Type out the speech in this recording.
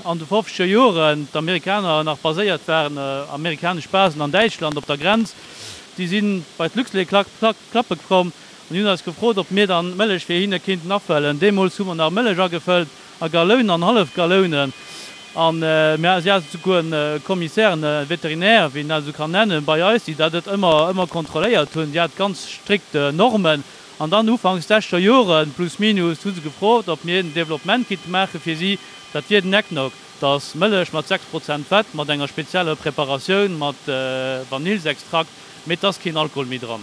An de fofzeger Joren d'Amerikaner nach baséiert waren, amerikanesch Basen an Däitschland op der Grenz, déi si bei d'Luxlait klappe komm an hunn eis gefrot, ob mir dann Mëllech fir hinne kinnten afëllen. Deemools hu mer nach Mëllech agefëllt a Gallounen an Hallefgallounen. An mir si haten souguer e Commissaire, e Vétérinaire, wéi een dat esou kann nennen, bei eis, déi dat ëmmer, ëmmer kontrolléiert hunn. Déi hat ganz strikt Normen. An dann ufanks sechzeger Joren, plus minus, hu se gefrot, ob mir en Développement kinnte maache fir si. Dat wier den Eggnog. Dat ass Mëllech mat 6 Prozent Fett, mat enger spezieller Preparatioun mat Vanillsextrakt, mee et ass keen Alkohol méi dran.